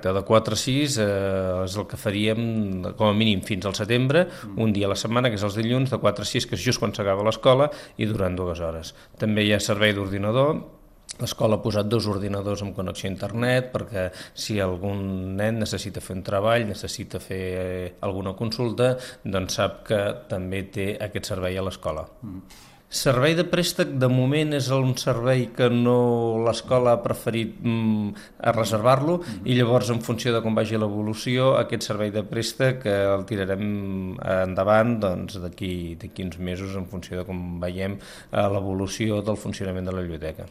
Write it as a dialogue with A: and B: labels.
A: De 4 a 6 és el que faríem com a mínim fins al setembre, un dia a la setmana, que és els dilluns, de 4 a 6, que és just quan s'acaba l'escola, i durant 2 hores. També hi ha servei d'ordinador. L'escola ha posat 2 ordinadors amb connexió a internet perquè si algun nen necessita fer un treball, necessita fer alguna consulta, doncs sap que també té aquest servei a l'escola. Servei de préstec, de moment, és un servei que no l'escola ha preferit reservar-lo i llavors, en funció de com vagi l'evolució, aquest servei de préstec el tirarem endavant d'aquí uns mesos en funció de com veiem l'evolució del funcionament de la biblioteca.